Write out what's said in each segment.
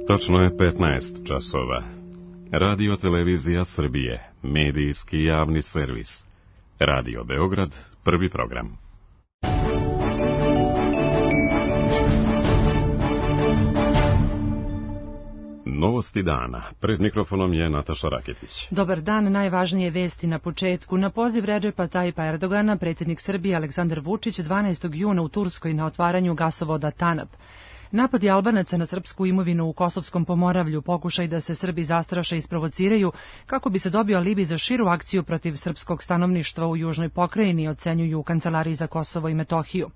Točno je 15 časova. Radio Televizija Srbije, medijski javni servis. Radio Beograd, prvi program. Novosti dana. Pred mikrofonom je Nataša Raketić. Dobar dan, najvažnije vesti na početku. Na poziv Redžepa Tajipa Erdogana, predsjednik Srbije Aleksandar Vučić 12. juna u Turskoj na otvaranju gasovoda Tanap. Napadi Albanaca na srpsku imovinu u Kosovskom Pomoravlju, pokušaj da se Srbi zastraše i isprovociraju kako bi se dobio alibi za širu akciju protiv srpskog stanovništva u južnoj pokrajini, ocenjuju u Kancelariji za Kosovo i Metohiju.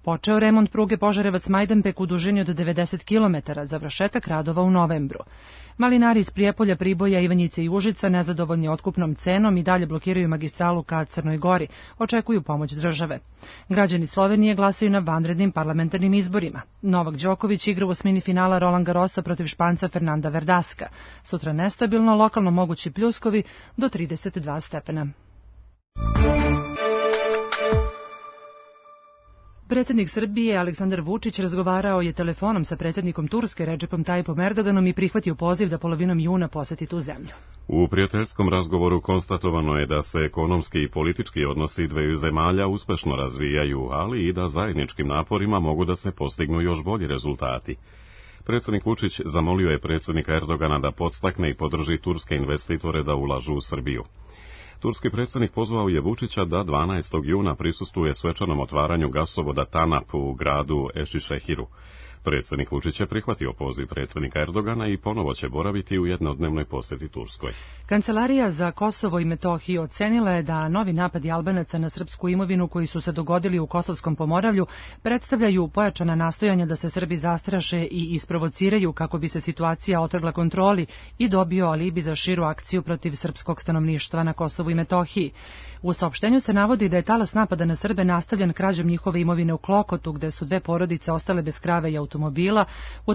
Počeo remont pruge Požarevac-Majdanpek u dužini od 90 km, završetak radova u novembru. Malinari iz Prijepolja, Priboja, Ivanjice i Užica, nezadovoljni otkupnom cenom, i dalje blokiraju magistralu ka Crnoj Gori, očekuju pomoć države. Građani Slovenije glasaju na vanrednim parlamentarnim izborima. Novak Đoković igra u osmini finala Roland Garrosa protiv Španca Fernanda Verdaska. Sutra nestabilno, lokalno mogući pljuskovi do 32 stepena. Predsjednik Srbije Aleksandar Vučić razgovarao je telefonom sa predsjednikom Turske Redžepom Tajipom Erdoganom i prihvatio poziv da polovinom juna poseti tu zemlju. U prijateljskom razgovoru konstatovano je da se ekonomski i politički odnosi dveju zemalja uspešno razvijaju, ali i da zajedničkim naporima mogu da se postignu još bolji rezultati. Predsjednik Vučić zamolio je predsjednika Erdogana da podstakne i podrži turske investitore da ulažu u Srbiju. Turski predsjednik pozvao je Vučića da 12. juna prisustvuje svečanom otvaranju gasovoda Tanap u gradu Ešišehiru. Predsjednik Vučić je prihvatio poziv predsjednika Erdogana i ponovo će boraviti u jednodnevnoj posjeti Turskoj. Kancelarija za Kosovo i Metohiju ocenila je da novi napadi Albanaca na srpsku imovinu koji su se dogodili u Kosovskom Pomoravlju predstavljaju pojačana nastojanja da se Srbi zastraše i isprovociraju kako bi se situacija otrgla kontroli i dobio alibi za širu akciju protiv srpskog stanovništva na Kosovu i Metohiji. U saopštenju se navodi da je talas napada na Srbe nastavljen krađom njihove imovine u Klokotu, gde su dve porodice ostale bez krave i automobila,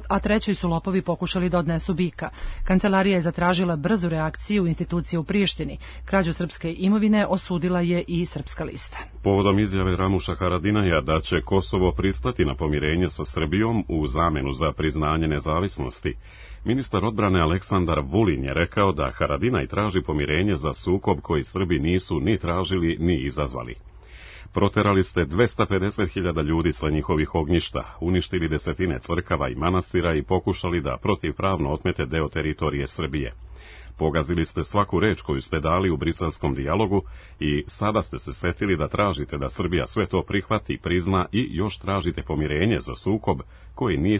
a trećoj su lopovi pokušali da odnesu bika. Kancelarija je zatražila brzu reakciju institucije u Prištini. Krađu srpske imovine osudila je i Srpska lista. Povodom izjave Ramuša Haradinaja da će Kosovo pristati na pomirenje sa Srbijom u zamenu za priznanje nezavisnosti, ministar odbrane Aleksandar Vulin je rekao da Haradinaj traži pomirenje za sukob koji Srbi nisu ni tražili ni izazvali. Proterali ste 250.000 ljudi sa njihovih ognjišta, uništili desetine crkava i manastira i pokušali da protivpravno otmete deo teritorije Srbije. Pogazili ste svaku reč koju ste dali u briselskom dijalogu i sada ste se setili da tražite da Srbija sve to prihvati, prizna i još tražite pomirenje za sukob koji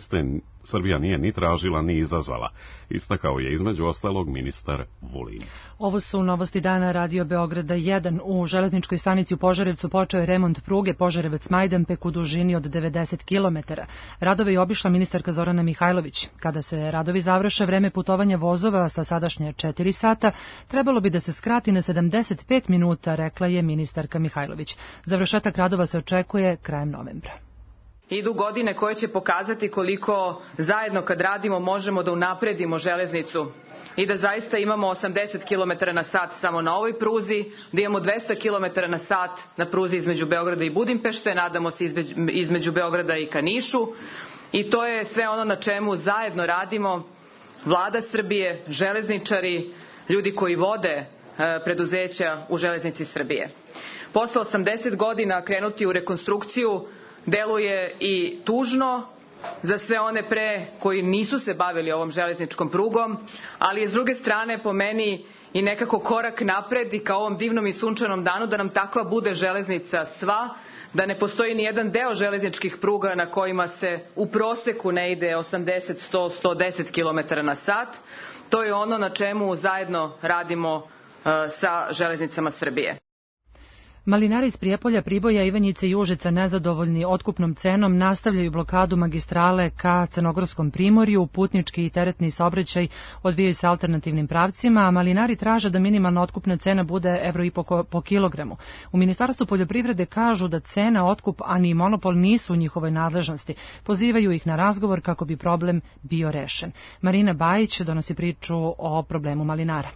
Srbija nije ni tražila ni izazvala, istakao je između ostalog ministar Vulin. Ovo su novosti dana Radio Beograda 1. U železničkoj stanici u Požarevcu počeo je remont pruge Požarevac-Majdanpek u dužini od 90 km. Radove je obišla ministarka Zorana Mihajlović. Kada se radovi završe, vreme putovanja vozova sa sadašnje 4 sata trebalo bi da se skrati na 75 minuta, rekla je ministarka Mihajlović. Završetak radova se očekuje krajem novembra. Idu godine koje će pokazati koliko zajedno kad radimo možemo da unapredimo železnicu i da zaista imamo 80 km na sat samo na ovoj pruzi, da imamo 200 km na sat na pruzi između Beograda i Budimpešte, nadamo se između Beograda i ka Nišu, i to je sve ono na čemu zajedno radimo Vlada Srbije, železničari, ljudi koji vode preduzeća u Železnici Srbije. Posle 80 godina krenuti u rekonstrukciju deluje i tužno za sve one pre koji nisu se bavili ovom železničkom prugom, ali je s druge strane po meni i nekako korak napred i ka ovom divnom i sunčanom danu da nam takva bude železnica sva, da ne postoji ni jedan deo železničkih pruga na kojima se u proseku ne ide 80, 100, 110 km na sat. To je ono na čemu zajedno radimo sa železnicama Srbije. Malinari iz Prijepolja, Priboja, Ivanjice i Užica, nezadovoljni otkupnom cenom, nastavljaju blokadu magistrale ka Crnogorskom primorju. Putnički i teretni saobraćaj odvijaju se alternativnim pravcima, a malinari traže da minimalna otkupna cena bude €1,5 po kilogramu. U Ministarstvu poljoprivrede kažu da cena, otkup, a ni monopol nisu u njihovoj nadležnosti. Pozivaju ih na razgovor kako bi problem bio rešen. Marina Bajić donosi priču o problemu malinara.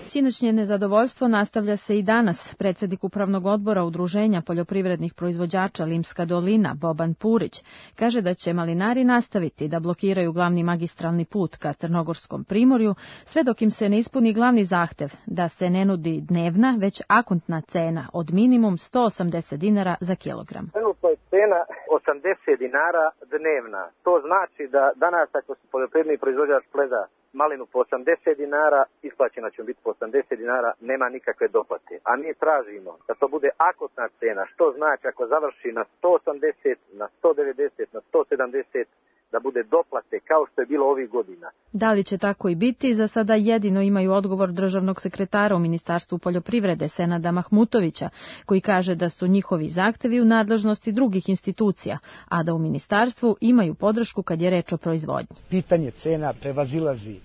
Sinoćnje nezadovoljstvo nastavlja se i danas. Predsjednik Upravnog odbora Udruženja poljoprivrednih proizvođača Limska dolina, Boban Purić, kaže da će malinari nastaviti da blokiraju glavni magistralni put ka Crnogorskom primorju, sve dok im se ne ispuni glavni zahtev da se ne nudi dnevna, već akontna cena od minimum 180 dinara za kilogram. Trenutno je cena 80 dinara dnevna. To znači da danas ako se poljoprivredni proizvođač pleda malinu po 80 dinara, isplaćena će biti po 80 dinara, nema nikakve doplate. A mi tražimo da to bude akotna cena, što znači ako završi na 180, na 190, na 170, da bude doplate kao što je bilo ovih godina. Da li će tako i biti, za sada jedino imaju odgovor državnog sekretara u Ministarstvu poljoprivrede Senada Mahmutovića, koji kaže da su njihovi zahtevi u nadležnosti drugih institucija, a da u ministarstvu imaju podršku kad je reč o proizvodnji. Pitanje cena prevazilazi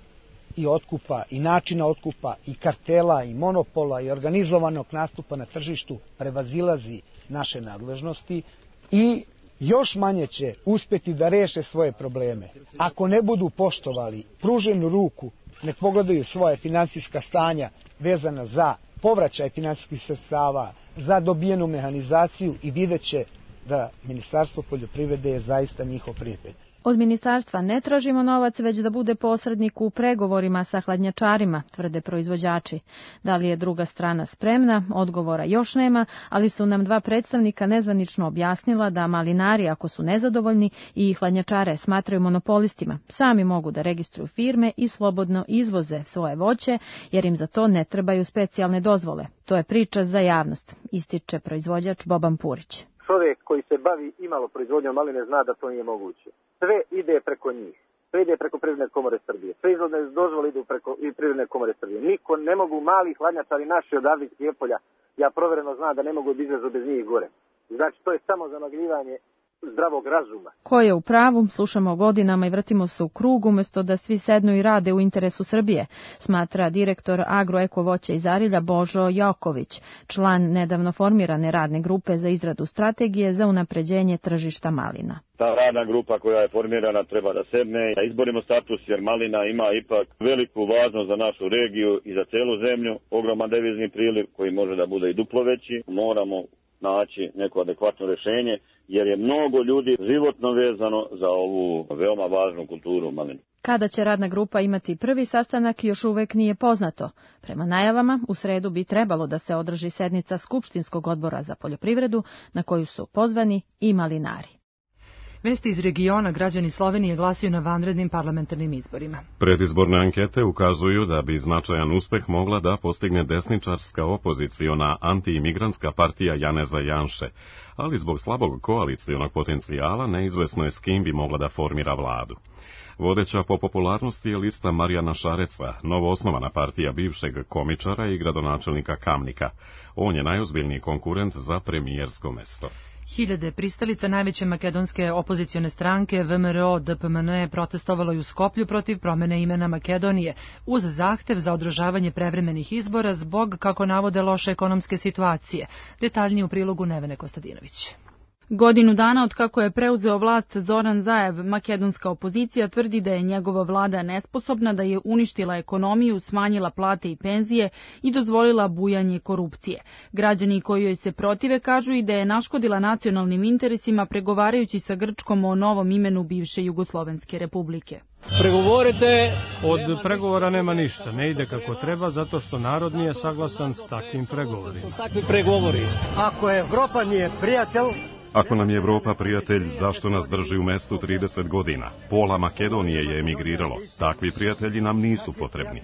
i otkupa, i načina otkupa, i kartela, i monopola, i organizovanog nastupa na tržištu, prevazilazi naše nadležnosti i još manje će uspjeti da reše svoje probleme. Ako ne budu poštovali pruženu ruku, nek pogledaju svoje finansijska stanja vezana za povraćaj finansijskih sredstava, za dobijenu mehanizaciju i vidjet će da Ministarstvo poljoprivrede je zaista njihov prijatelj. Od ministarstva ne tražimo novac, već da bude posrednik u pregovorima sa hladnjačarima, tvrde proizvođači. Da li je druga strana spremna, odgovora još nema, ali su nam dva predstavnika nezvanično objasnila da malinari, ako su nezadovoljni i hladnjačare smatraju monopolistima, sami mogu da registruju firme i slobodno izvoze svoje voće, jer im za to ne trebaju specijalne dozvole. To je priča za javnost, ističe proizvođač Boban Purić. Čovjek koji se bavi imalo proizvodnjom maline zna da to nije moguće. Sve ide preko njih. Sve ide preko Privredne komore Srbije. Sve izvodne dozvole idu preko i Privredne komore Srbije. Niko ne mogu mali hladnjačari naši odavde iz Prijepolja. Ja provereno znam da ne mogu izlazu bez njih gore. Znači to je samo zamagljivanje zdravog razuma. Ko je u pravu, slušamo godinama i vrtimo se u krug umjesto da svi sednu i rade u interesu Srbije, smatra direktor Agroeko voća iz Arilja Božo Joković, član nedavno formirane radne grupe za izradu strategije za unapređenje tržišta malina. Ta radna grupa koja je formirana treba da sedne, da izborimo status jer malina ima ipak veliku važnost za našu regiju i za celu zemlju, ogroman devizni priliv koji može da bude i duplo veći. Moramo naći neko adekvatno rješenje jer je mnogo ljudi životno vezano za ovu veoma važnu kulturu malinu. Kada će radna grupa imati prvi sastanak još uvek nije poznato. Prema najavama, u sredu bi trebalo da se održi sednica Skupštinskog odbora za poljoprivredu na koju su pozvani i malinari. Vesti iz regiona, građani Slovenije glasaju na vanrednim parlamentarnim izborima. Predizborne ankete ukazuju da bi značajan uspeh mogla da postigne desničarska opoziciona antiimigrantska partija Janeza Janše, ali zbog slabog koalicionog potencijala neizvesno je s kim bi mogla da formira vladu. Vodeća po popularnosti je lista Marijana Šareca, novoosnovana partija bivšeg komičara i gradonačelnika Kamnika. On je najozbiljniji konkurent za premijersko mesto. Hiljade pristalica najveće makedonske opozicione stranke VMRO DPMNE protestovalo i u Skoplju protiv promene imena Makedonije, uz zahtev za održavanje prevremenih izbora zbog, kako navode, loše ekonomske situacije. Detaljnije u prilogu Nevene Kostadinović. Godinu dana od kako je preuzeo vlast Zoran Zaev, makedonska opozicija tvrdi da je njegova vlada nesposobna, da je uništila ekonomiju, smanjila plate i penzije i dozvolila bujanje korupcije. Građani koji joj se protive kažu i da je naškodila nacionalnim interesima pregovarajući sa Grčkom o novom imenu bivše Jugoslovenske republike. Pregovorite, od pregovora nema ništa, ne ide kako treba zato što narod nije saglasan s takvim pregovorima. Ako Evropa nije prijatelj, Ako nam je Evropa prijatelj, zašto nas drži u mestu 30 godina? Pola Makedonije je emigriralo. Takvi prijatelji nam nisu potrebni.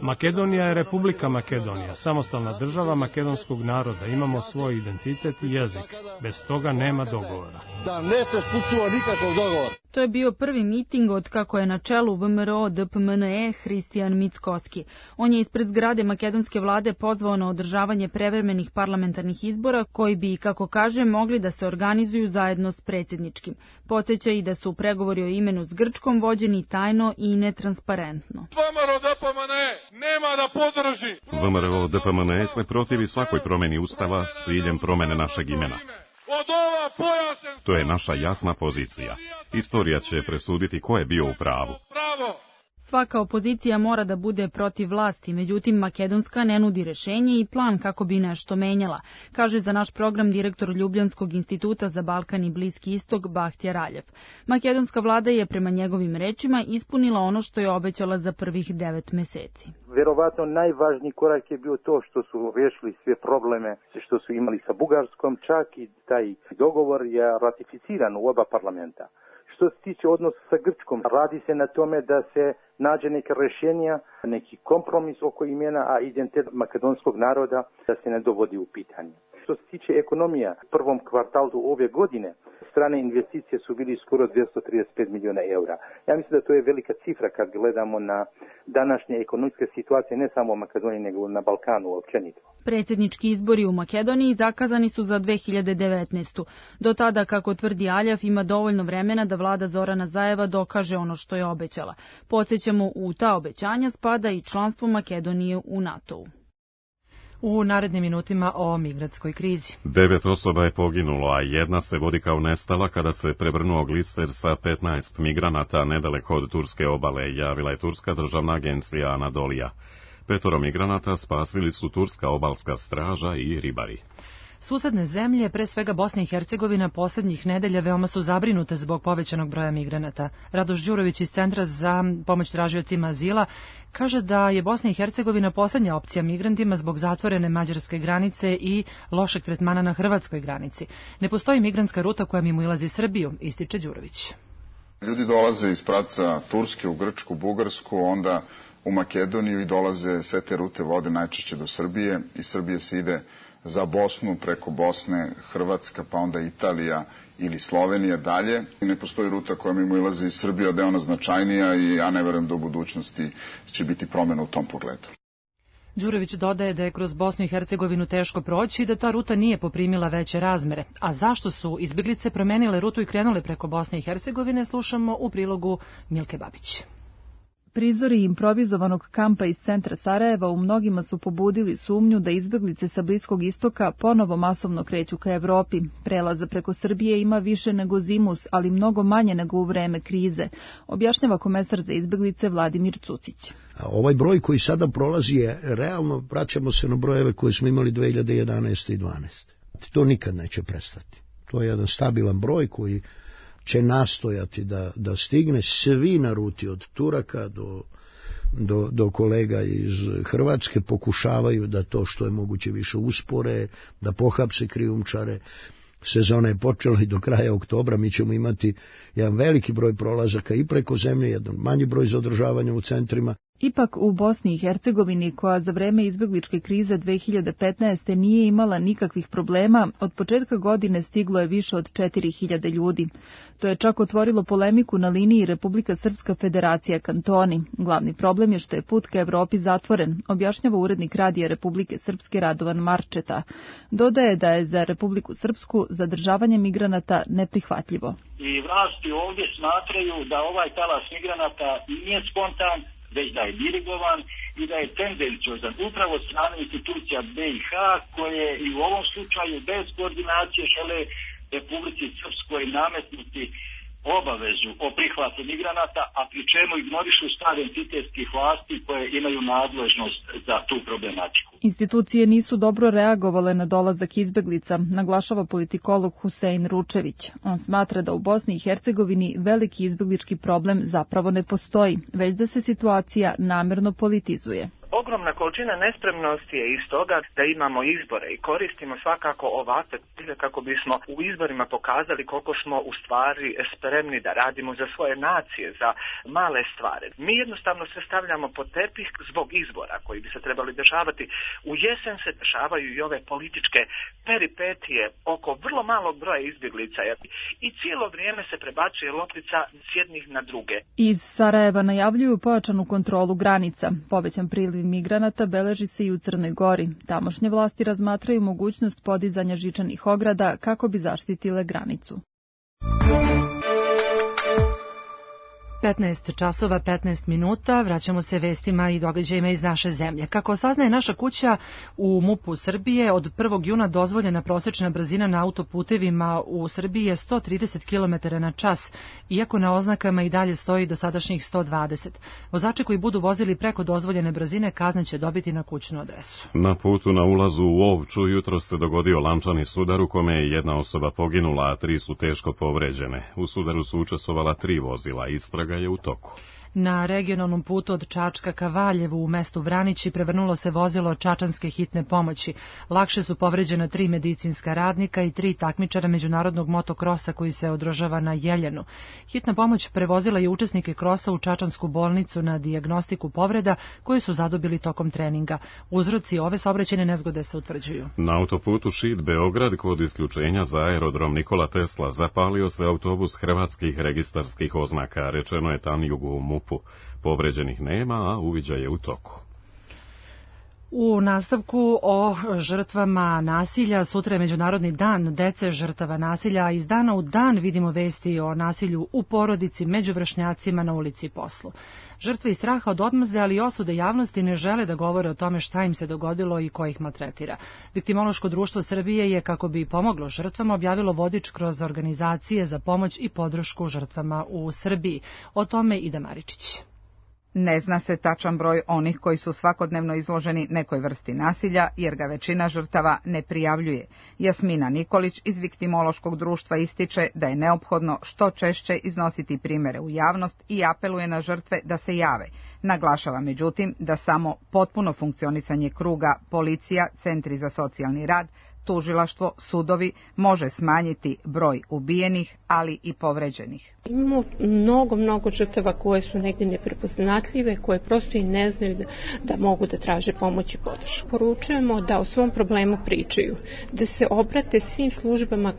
Makedonija je Republika Makedonija, samostalna država makedonskog naroda. Imamo svoj identitet i jezik. Bez toga nema dogovora. To je bio prvi miting od kako je na čelu VMRO DPMNE Hristijan Mickoski. On je ispred zgrade makedonske vlade pozvao na održavanje prevremenih parlamentarnih izbora koji bi, kako kaže, mogli da se organizuju zajedno s predsjedničkim. Podsjeća i da su pregovori o imenu s Grčkom vođeni tajno i netransparentno. VMRO DPMNE nema da podrži. VMRO DPMNE se protivi svakoj promjeni ustava s ciljem promjene našeg imena. od ova pojasen... To je naša jasna pozicija. Istorija će presuditi ko je bio u pravu. Svaka opozicija mora da bude protiv vlasti, međutim Makedonska ne nudi rešenje i plan kako bi nešto menjala, kaže za naš program direktor Ljubljanskog instituta za Balkan i Bliski istok Bahtija Raljev. Makedonska vlada je prema njegovim rečima ispunila ono što je obećala za prvih 9 meseci. Verovatno najvažniji korak je bio to što su rešili sve probleme što su imali sa Bugarskom, čak i taj dogovor je ratificiran u oba parlamenta. Što se tiče odnosa sa Grčkom, radi se na tome da se nađe neka rješenja, neki kompromis oko imena, a identitet makedonskog naroda da se ne dovodi u pitanje. Što se tiče ekonomija, u prvom kvartalu ove godine strane investicije su bili skoro 235 miliona eura. Ja mislim da to je velika cifra kad gledamo na današnje ekonomske situacije ne samo u Makedoniji nego na Balkanu općenito. Predsjednički izbori u Makedoniji zakazani su za 2019. Do tada, kako tvrdi Aljav, ima dovoljno vremena da vlada Zorana Zajeva dokaže ono što je obećala. Podsjećamo, u ta obećanja spada i članstvo Makedonije u NATO-u. U narednim minutima o migratskoj krizi. 9 osoba je poginulo, a jedna se vodi kao nestala kada se prevrnuo gliser sa 15 migranata nedaleko od turske obale, javila je turska državna agencija Anadolija. 5 migranata spasili su turska obalska straža i ribari. Susedne zemlje, pre svega Bosna i Hercegovina, posljednjih nedelja veoma su zabrinute zbog povećanog broja migranata. Radoš Đurović iz Centra za pomoć tražiocima azila kaže da je Bosna i Hercegovina posljednja opcija migrantima zbog zatvorene mađarske granice i lošeg tretmana na hrvatskoj granici. Ne postoji migrantska ruta koja mimoilazi Srbiju, ističe Đurović. Ljudi dolaze iz pravca Turske u Grčku, Bugarsku, onda u Makedoniju i dolaze, sve te rute vode najčešće do Srbije. Iz Srbije se ide za Bosnu, preko Bosne, Hrvatska, pa onda Italija ili Slovenija dalje. I ne postoji ruta koja mimoilazi iz Srbije, da je ona značajnija i ja ne verujem da u budućnosti će biti promjena u tom pogledu. Đurović dodaje da je kroz Bosnu i Hercegovinu teško proći i da ta ruta nije poprimila veće razmere. A zašto su izbjeglice promenile rutu i krenule preko Bosne i Hercegovine, slušamo u prilogu Milke Babić. Prizori improvizovanog kampa iz centra Sarajeva u mnogima su pobudili sumnju da izbjeglice sa Bliskog istoka ponovo masovno kreću ka Evropi. Prelaza preko Srbije ima više nego zimus, ali mnogo manje nego u vreme krize, objašnjava komesar za izbjeglice Vladimir Cucić. A ovaj broj koji sada prolazi je realno, vraćamo se na brojeve koje smo imali 2011. i 2012. To nikad neće prestati. To je jedan stabilan broj koji će nastojati da stigne svi na ruti od Turaka do kolega iz Hrvatske pokušavaju da to što je moguće više uspore, da pohapse krijumčare. Sezona je počela i do kraja oktobra mi ćemo imati jedan veliki broj prolazaka i preko zemlje, jedan manji broj zadržavanja u centrima. Ipak u Bosni i Hercegovini, koja za vreme izbjegličke krize 2015. nije imala nikakvih problema, od početka godine stiglo je više od 4000 ljudi. To je čak otvorilo polemiku na liniji Republika Srpska Federacija kantoni. Glavni problem je što je put ka Evropi zatvoren, objašnjava urednik radija Republike Srpske Radovan Marčeta. Dodaje da je za Republiku Srpsku zadržavanje migranata neprihvatljivo. I vlasti ovdje smatraju da ovaj talas migranata nije spontan, već da je dirigovan i da je tendenciozan upravo od strane institucija BiH koje i u ovom slučaju bez koordinacije žele Republici Srpskoj nametnuti obavezu o prihvatu migranata, a pri čemu ignorišu stav entitetskih vlasti koje imaju nadležnost za tu problematiku. Institucije nisu dobro reagovale na dolazak izbeglica, naglašava politikolog Husein Ručević. On smatra da u Bosni i Hercegovini veliki izbeglički problem zapravo ne postoji, već da se situacija namerno politizuje. Ogromna količina nespremnosti je iz toga da imamo izbore i koristimo svakako ovakve cilje kako bismo u izborima pokazali koliko smo u stvari spremni da radimo za svoje nacije, za male stvari. Mi jednostavno se stavljamo pod tepih zbog izbora koji bi se trebali dešavati. U jesen se dešavaju i ove političke peripetije oko vrlo malog broja izbjeglica i cijelo vrijeme se prebacuje loptica s jednih na druge. Iz Sarajeva najavljuju pojačanu kontrolu granica, povećan priliv migranata beleži se i u Crnoj Gori. Tamošnje vlasti razmatraju mogućnost podizanja žičanih ograda kako bi zaštitile granicu. 15 časova 15 minuta, vraćamo se vestima i događajima iz naše zemlje. Kako saznaje naša kuća, u MUP-u Srbije od 1. juna dozvoljena prosečna brzina na autoputevima u Srbiji je 130 km na čas, iako na oznakama i dalje stoji dosadašnjih 120. Vozači koji budu vozili preko dozvoljene brzine kazne će dobiti na kućnu adresu. Na putu na ulazu u Ovču jutro se dogodio lančani sudar u kome je jedna osoba poginula, a 3 su teško povređene. U sudaru su učestvovala 3 vozila, istraga je u toku. Na regionalnom putu od Čačka ka Valjevu u mestu Vranići prevrnulo se vozilo čačanske hitne pomoći. Lakše su povređena 3 medicinska radnika i 3 takmičara međunarodnog motokrosa koji se održava na Jeljenu. Hitna pomoć prevozila je učesnike krosa u Čačansku bolnicu na dijagnostiku povreda koje su zadobili tokom treninga. Uzroci ove saobraćajne nezgode se utvrđuju. Na autoputu Šid Beograd kod isključenja za aerodrom Nikola Tesla zapalio se autobus hrvatskih registarskih oznaka, rečeno je Tanjugu u MUP-u. Povređenih nema, a uviđaj je u toku. U nastavku o žrtvama nasilja, sutra je Međunarodni dan dece žrtava nasilja, a iz dana u dan vidimo vesti o nasilju u porodici, među vršnjacima, na ulici i poslu. Žrtve iz straha od odmazde, ali i osude javnosti ne žele da govore o tome šta im se dogodilo i ko ih maltretira. Viktimološko društvo Srbije je, kako bi pomoglo žrtvama, objavilo vodič kroz organizacije za pomoć i podršku žrtvama u Srbiji. O tome Ida Maričić. Ne zna se tačan broj onih koji su svakodnevno izloženi nekoj vrsti nasilja, jer ga većina žrtava ne prijavljuje. Jasmina Nikolić iz Viktimološkog društva ističe da je neophodno što češće iznositi primere u javnost i apeluje na žrtve da se jave. Naglašava međutim da samo potpuno funkcionisanje kruga, policija, centri za socijalni rad, tužilaštvo, sudovi može smanjiti broj ubijenih, ali i povređenih. Imamo mnogo žrtava koje su negdje neprepoznatljive, koje prosto i ne znaju da mogu da traže pomoć i podršku. Poručujemo da o svom problemu pričaju, da se obrate svim službama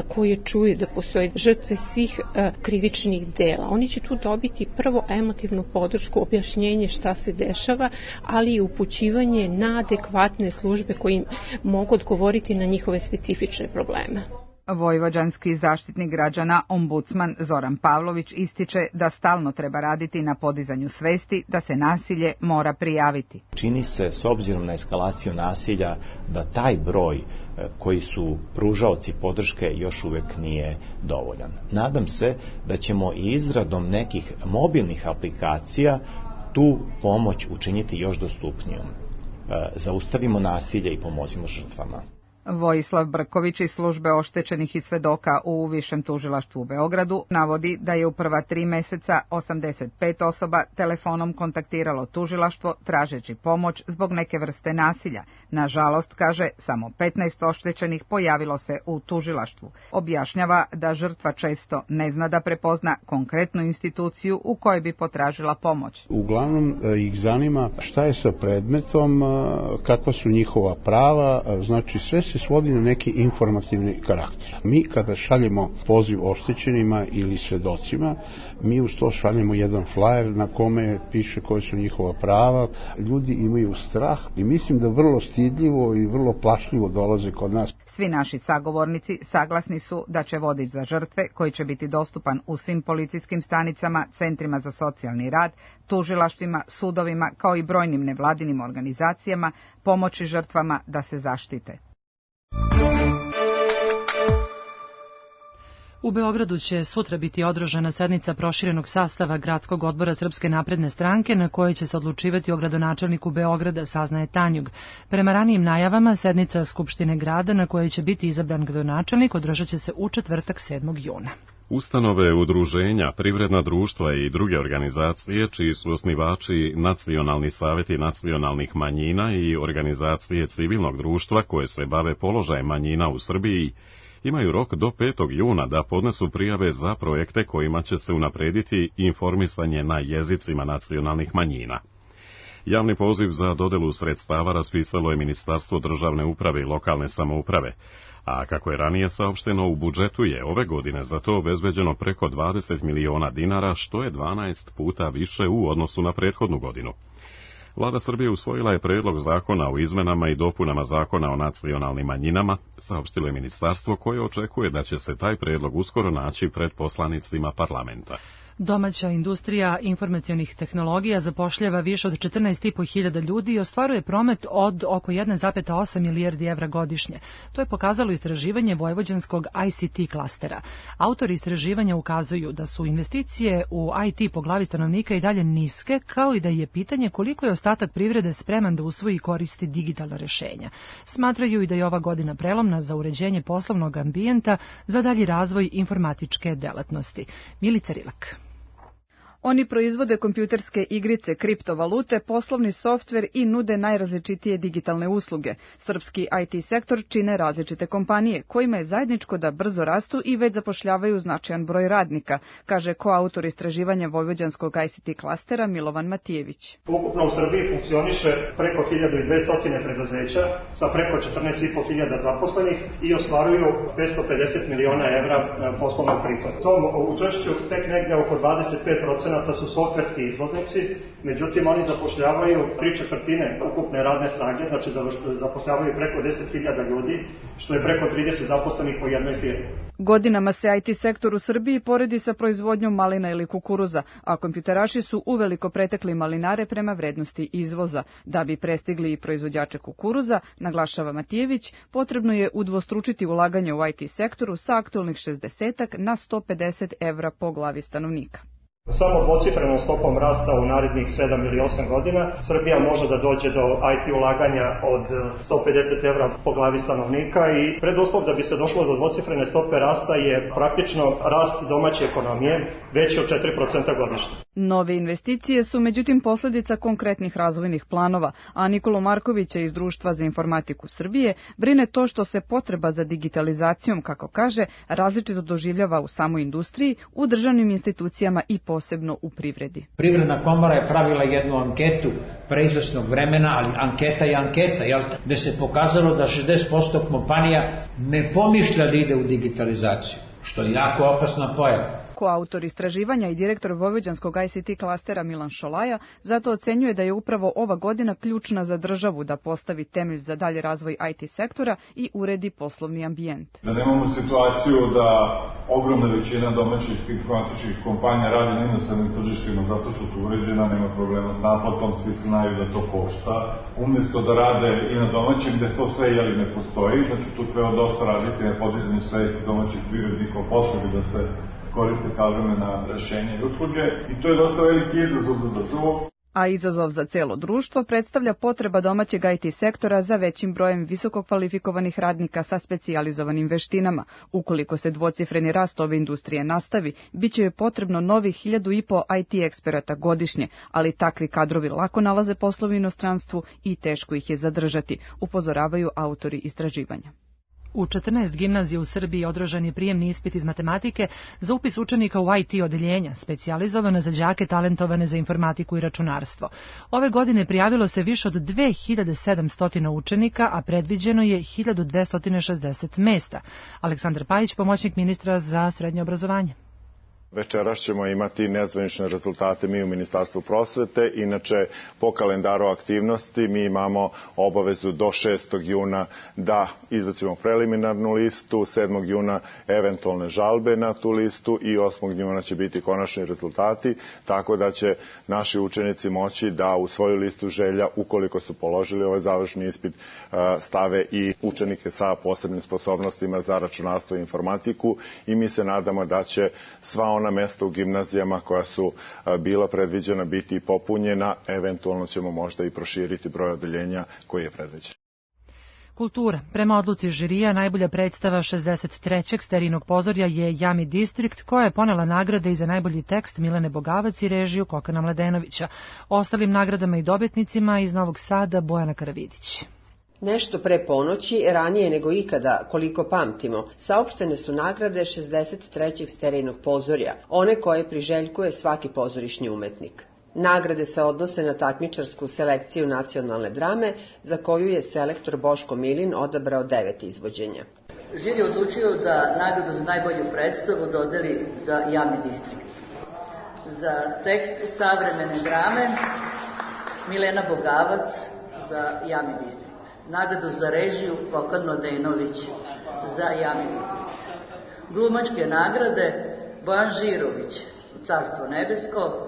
koje čuju da postoje žrtve svih krivičnih dela. Oni će tu dobiti prvo emotivnu podršku, objašnjenje šta se dešava, ali i upućivanje na adekvatne službe koji mogu odgovoriti na njihove specifične probleme. Vojvođanski zaštitnik građana, ombudsman Zoran Pavlović, ističe da stalno treba raditi na podizanju svesti da se nasilje mora prijaviti. Čini se, s obzirom na eskalaciju nasilja, da taj broj koji su pružaoci podrške još uvek nije dovoljan. Nadam se da ćemo i izradom nekih mobilnih aplikacija tu pomoć učiniti još dostupnijom. Zaustavimo nasilje i pomozimo žrtvama. Vojislav Brković iz službe oštećenih i svedoka u Višem tužilaštvu u Beogradu navodi da je u prva 3 meseca 85 osoba telefonom kontaktiralo tužilaštvo tražeći pomoć zbog neke vrste nasilja. Nažalost, kaže, samo 15 oštećenih pojavilo se u tužilaštvu. Objašnjava da žrtva često ne zna da prepozna konkretnu instituciju u kojoj bi potražila pomoć. Uglavnom ih zanima šta je sa predmetom, kakva su njihova prava, znači sve se svodi na neki informativni karakter. Mi kada šaljemo poziv oštećenima ili svedocima, mi uz to šaljemo jedan flajer na kome piše koje su njihova prava. Ljudi imaju strah i mislim da vrlo stidljivo i vrlo plašljivo dolaze kod nas. Svi naši sagovornici saglasni su da će vodič za žrtve, koji će biti dostupan u svim policijskim stanicama, centrima za socijalni rad, tužilaštvima, sudovima, kao i brojnim nevladinim organizacijama, pomoći žrtvama da se zaštite. U Beogradu će sutra biti održana sednica proširenog sastava Gradskog odbora Srpske napredne stranke, na kojoj će se odlučivati o gradonačelniku Beograda, saznaje Tanjug. Prema ranijim najavama, sednica Skupštine grada na kojoj će biti izabran gradonačelnik održat će se u četvrtak 7. juna. Ustanove, udruženja, privredna društva i druge organizacije, čiji su osnivači nacionalni savjeti nacionalnih manjina i organizacije civilnog društva koje se bave položajem manjina u Srbiji, imaju rok do 5. juna da podnesu prijave za projekte kojima će se unaprediti informisanje na jezicima nacionalnih manjina. Javni poziv za dodelu sredstava raspisalo je Ministarstvo državne uprave i lokalne samouprave, a kako je ranije saopšteno, u budžetu je ove godine za to obezbeđeno preko 20 miliona dinara, što je 12 puta više u odnosu na prethodnu godinu. Vlada Srbije usvojila je predlog zakona o izmenama i dopunama zakona o nacionalnim manjinama, saopštilo je ministarstvo koje očekuje da će se taj predlog uskoro naći pred poslanicima parlamenta. Domaća industrija informacionih tehnologija zapošljava više od 14.500 ljudi i ostvaruje promet od oko 1,8 milijardi evra godišnje. To je pokazalo istraživanje vojvođanskog ICT klastera. Autori istraživanja ukazuju da su investicije u IT po glavi stanovnika i dalje niske, kao i da je pitanje koliko je ostatak privrede spreman da usvoji i koristi digitalna rešenja. Smatraju i da je ova godina prelomna za uređenje poslovnog ambijenta za dalji razvoj informatičke delatnosti. Milica Rilak. Oni proizvode kompjuterske igrice, kriptovalute, poslovni softver i nude najrazličitije digitalne usluge. Srpski IT sektor čine različite kompanije, kojima je zajedničko da brzo rastu i već zapošljavaju značajan broj radnika, kaže koautor istraživanja vojvođanskog ICT klastera Milovan Matijević. Ukupno u Srbiji funkcioniše preko 1200 preduzeća sa preko 14.500 zaposlenih i ostvaruju 550 miliona evra poslovnog prihoda. Tom učešću tek negde oko 25% su softverski izvoznici, međutim oni zapošljavaju 3/4 ukupne radne snage, znači zapošljavaju preko 10.000 ljudi, što je preko 30 zaposlenih po jednoj firmi. Godinama se IT sektor u Srbiji poredi sa proizvodnjom malina ili kukuruza, a kompjuteraši su uveliko pretekli malinare prema vrednosti izvoza. Da bi prestigli i proizvođače kukuruza, naglašava Matijević, potrebno je udvostručiti ulaganje u IT sektoru sa aktualnih 60 na 150 evra po glavi stanovnika. Samo dvocifrenom stopom rasta u narednih 7 ili 8 godina Srbija može da dođe do IT ulaganja od 150 evra po glavi stanovnika i preduslov da bi se došlo do dvocifrene stope rasta je praktično rast domaće ekonomije veći od 4% godišnje. Nove investicije su međutim posljedica konkretnih razvojnih planova, a Nikolu Markovića iz Društva za informatiku Srbije brine to što se potreba za digitalizacijom, kako kaže, različito doživljava u samoj industriji, u državnim institucijama i posebno u privredi. Privredna komora je pravila jednu anketu pre izvesnog vremena, ali anketa je anketa, gde se pokazalo da 60% kompanija ne pomišlja da ide u digitalizaciju, što je jako opasna pojava. Koautor istraživanja i direktor vojvođanskog ICT klastera Milan Šolaja zato ocenjuje da je upravo ova godina ključna za državu da postavi temelj za dalji razvoj IT sektora i uredi poslovni ambijent. Da nemamo situaciju da ogromna većina domaćih informatičkih kompanija radi na inostranim tržištima zato što su uređena, nema problema s naplatom, svi znaju da to košta. Umjesto da rade i na domaćim, gde to sve ne postoji, znači tu treba dosta raditi na podizanju svesti domaćih privrednika o potrebi da se koriste savremena rešenja i usluge i to je dosta veliki izazov za državu. A izazov za celo društvo predstavlja potreba domaćeg IT sektora za većim brojem visoko kvalifikovanih radnika sa specijalizovanim veštinama. Ukoliko se dvocifreni rast ove industrije nastavi, bit će joj potrebno novih 1.500 IT eksperata godišnje, ali takvi kadrovi lako nalaze posao u inostranstvu i teško ih je zadržati, upozoravaju autori istraživanja. U 14 gimnazija u Srbiji održan je prijemni ispit iz matematike za upis učenika u IT odeljenja, specijalizovane za đake talentovane za informatiku i računarstvo. Ove godine prijavilo se više od 2700 učenika, a predviđeno je 1260 mesta. Aleksandar Pajić, pomoćnik ministra za srednje obrazovanje. Večeras ćemo imati nezvanične rezultate mi u Ministarstvu prosvete. Inače, po kalendaru aktivnosti mi imamo obavezu do 6. juna da izbacimo preliminarnu listu, 7. juna eventualne žalbe na tu listu i 8. juna će biti konačni rezultati, tako da će naši učenici moći da u svoju listu želja, ukoliko su položili ovaj završni ispit, stave i učenike sa posebnim sposobnostima za računarstvo i informatiku i mi se nadamo da će sva ona mesta u gimnazijama koja su bila predviđena biti popunjena, eventualno ćemo možda i proširiti broj odeljenja koji je predviđen. Kultura. Prema odluci žirija, najbolja predstava 63. Sterinog pozorja je Jami Distrikt, koja je ponela nagrade i za najbolji tekst Milene Bogavac i režiju Kokana Mladenovića. Ostalim nagradama i dobitnicima iz Novog Sada Bojana Karavidić. Nešto pre ponoći, ranije nego ikada, koliko pamtimo, saopštene su nagrade 63. Sterijnog pozorja, one koje priželjkuje svaki pozorišni umetnik. Nagrade se odnose na takmičarsku selekciju nacionalne drame, za koju je selektor Boško Milin odabrao 9 izvođenja. Žiri je odlučio da nagradu za najbolju predstavu dodeli za Jami Distrikt. Za tekst savremene drame Milena Bogavac za Jami Distrikt. Nagradu za režiju Kokan Mladenović za Jami Distrikt. Glumačke nagrade Bojan Žirović Carstvo nebesko,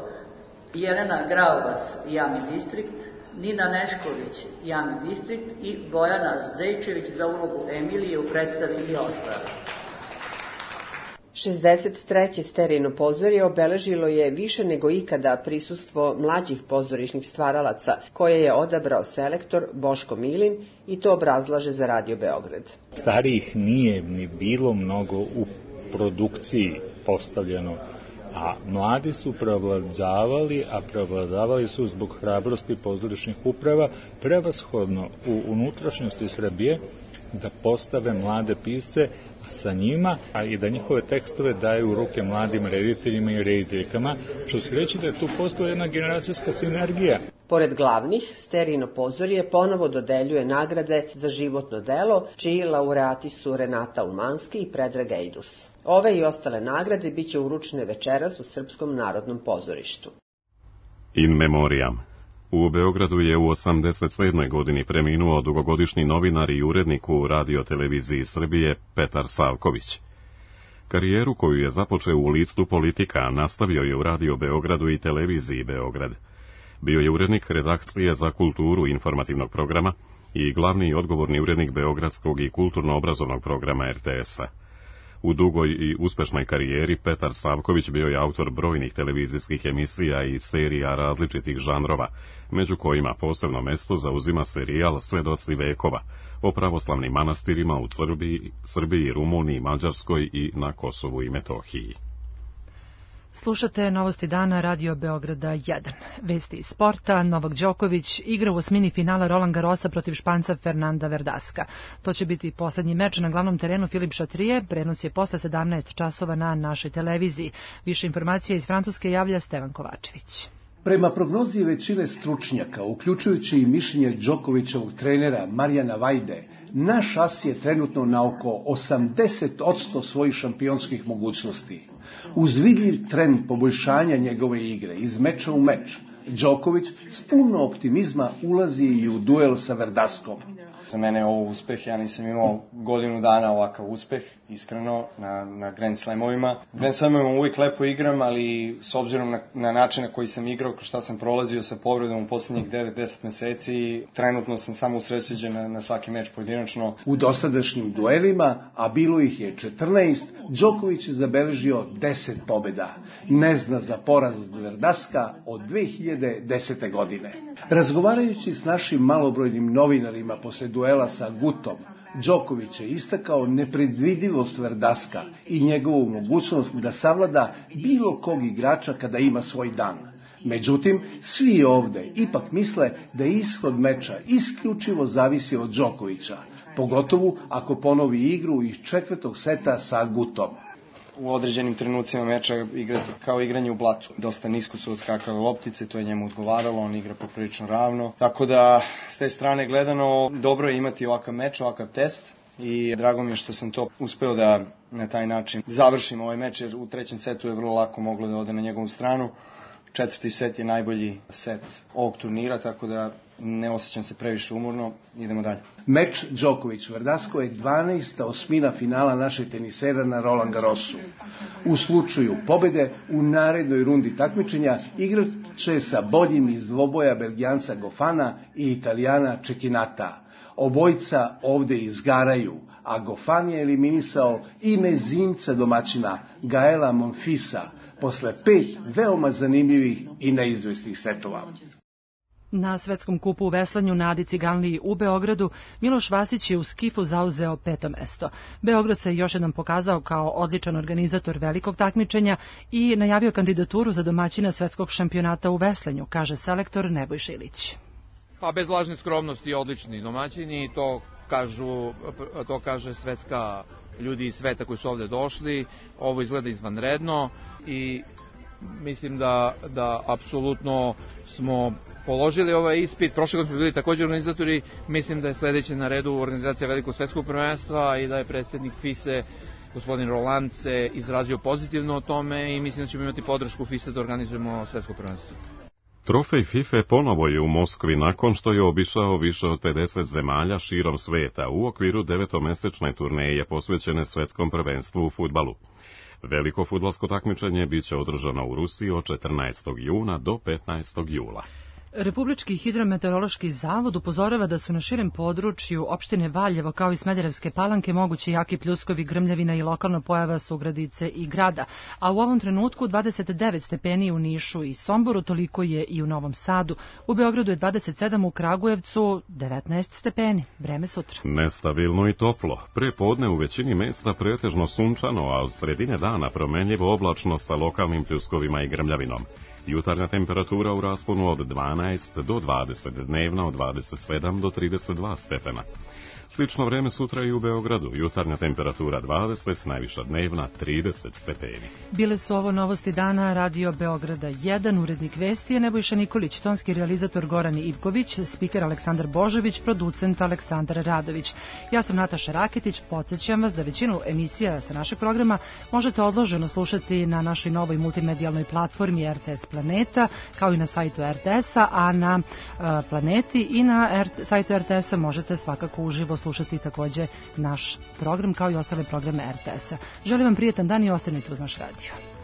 Jelena Graovac, javni distrikt, Nina Nešković, javni distrikt i Bojana Zdejčević za ulogu Emilije u predstavi I ostali. 63. Sterijino pozorje obeležilo je više nego ikada prisustvo mlađih pozorišnih stvaralaca, koje je odabrao selektor Boško Milin i to obrazlaže za Radio Beograd. Starijih nije ni bilo mnogo u produkciji postavljeno, a mladi su prevladavali su zbog hrabrosti pozorišnih uprava prevashodno u unutrašnjosti Srbije da postave mlade pisce sa njima, a i da njihove tekstove daju u ruke mladim rediteljima i rediteljkama, što se reći da je tu postoji jedna generacijska sinergija. Pored glavnih, Sterijino pozorje ponovo dodeljuje nagrade za životno delo, čiji laureati su Renata Umanski i Predrag Ejdus. Ove i ostale nagrade biće uručene večeras u Srpskom narodnom pozorištu. In memoriam. U Beogradu je u 87. godini preminuo dugogodišnji novinar i urednik u radioteleviziji Srbije Petar Savković. Karijeru koju je započeo u listu Politika nastavio je u Radio Beogradu i televiziji Beograd. Bio je urednik redakcije za kulturu informativnog programa i glavni i odgovorni urednik beogradskog i kulturno-obrazovnog programa RTS-a. U dugoj i uspešnoj karijeri Petar Savković bio je autor brojnih televizijskih emisija i serija različitih žanrova, među kojima posebno mesto zauzima serijal Svedoci vekova o pravoslavnim manastirima u Srbiji, Rumuniji, Mađarskoj i na Kosovu i Metohiji. Slušate Novosti dana Radio Beograda 1. Vesti iz sporta. Novak Đoković igra u osmini finala Roland Garrosa protiv Španca Fernanda Verdaska. To će biti poslednji meč na glavnom terenu Filip Chatrier. Prenos je posle 17 časova na našoj televiziji. Više informacija iz Francuske javlja Stevan Kovačević. Prema prognozi većine stručnjaka, uključujući i mišljenje Đokovićevog trenera Marijana Vajde, naš as je trenutno na oko 80% svojih šampionskih mogućnosti. Uz vidljiv trend poboljšanja njegove igre iz meča u meč, Đoković s puno optimizma ulazi i u duel sa Verdaskom. Za mene je ovo uspeh, ja nisam imao godinu dana ovakav uspeh, iskreno, na Grand Slamovima. Grand Slamovima uvijek lepo igram, ali s obzirom na način na koji sam igrao, šta sam prolazio sa povredom u posljednjih 9-10 meseci, trenutno sam samo usrećen na svaki meč pojedinačno. U dosadašnjim duelima, a bilo ih je 14, Đoković je zabeležio 10 pobjeda. Ne zna za poraz od Verdaska od 2010. godine. Razgovarajući s našim malobrojnim novinarima posle duela sa Gutom, Đoković je istakao nepredvidivost Verdaska i njegovu mogućnost da savlada bilo kog igrača kada ima svoj dan. Međutim, svi ovde ipak misle da ishod meča isključivo zavisi od Đokovića, pogotovo ako ponovi igru iz četvrtog seta sa Gutom. U određenim trenucima meča igrati kao igranje u blatu. Dosta nisko su odskakale loptice, to je njemu odgovaralo, on igra poprilično ravno. Tako da, s te strane gledano, dobro je imati ovakav meč, ovakav test i drago mi je što sam to uspeo da na taj način završim ovaj meč, jer u trećem setu je vrlo lako moglo da ode na njegovu stranu. Četvrti set je najbolji set ovog turnira, tako da ne osjećam se previše umorno. Idemo dalje. Meč Đoković-Verdasko je 12. osmina finala našeg tenisera na Roland Garrosu. U slučaju pobjede u narednoj rundi takmičenja igrat će sa boljim iz dvoboja Belgijanca Gofana i Italijana Čekinata. Obojica ovde izgaraju, a Gofan je eliminisao i mezinca domaćina Gaela Monfisa posle 5 veoma zanimljivih i neizvesnih setova. Na svetskom kupu u veslanju na Adi Ciganliji u Beogradu Miloš Vasić je u skifu zauzeo 5. mesto. Beograd se još jednom pokazao kao odličan organizator velikog takmičenja i najavio kandidaturu za domaćina svetskog šampionata u veslanju, kaže selektor Nebojša Ilić. Pa bez lažne skromnosti odlični domaćini, to kaže svetska ljudi iz sveta koji su ovde došli. Ovo izgleda izvanredno i mislim da apsolutno smo položili ovaj ispit. Prošle godine smo bili također organizatori. Mislim da je sledeće na redu organizacija velikog svetskog prvenstva i da je predsjednik FISE, gospodin Roland, se izrazio pozitivno o tome i mislim da ćemo imati podršku FISE da organizujemo svetsko prvenstvo. Trofej FIFA ponovo je u Moskvi nakon što je obišao više od 50 zemalja širom sveta u okviru 9-mesečne turneje posvećene svetskom prvenstvu u fudbalu. Veliko fudbalsko takmičenje biće održano u Rusiji od 14. juna do 15. jula. Republički hidrometeorološki zavod upozorava da su na širem području opštine Valjevo kao i Smederevske Palanke mogući jaki pljuskovi, grmljavina i lokalna pojava Sugradice i grada, a u ovom trenutku 29 stepeni u Nišu i Somboru, toliko je i u Novom Sadu. U Beogradu je 27, u Kragujevcu 19 stepeni. Vreme sutra. Nestabilno i toplo. Pre podne u većini mesta pretežno sunčano, a od sredine dana promenljivo oblačno sa lokalnim pljuskovima i grmljavinom. Jutarnja temperatura u rasponu od 12 do 20, dnevna od 27 do 32 stepena. Slično vreme sutra i u Beogradu. Jutarnja temperatura 20, najviša dnevna 30 stepeni. Bile su ovo novosti dana Radio Beograda 1, urednik vesti je Nebojša Nikolić, tonski realizator Goran Ivković, spiker Aleksandar Božović, producent Aleksandar Radović. Ja sam Nataša Raketić, podsjećam vas da većinu emisija sa našeg programa možete odloženo slušati na našoj novoj multimedijalnoj platformi RTS Planeta, kao i na sajtu RTS-a, a na Planeti i na sajtu RTS-a možete svakako uživo slušati takođe naš program kao i ostale programe RTS-a. Želim vam prijetan dan i ostanite uz naš radio.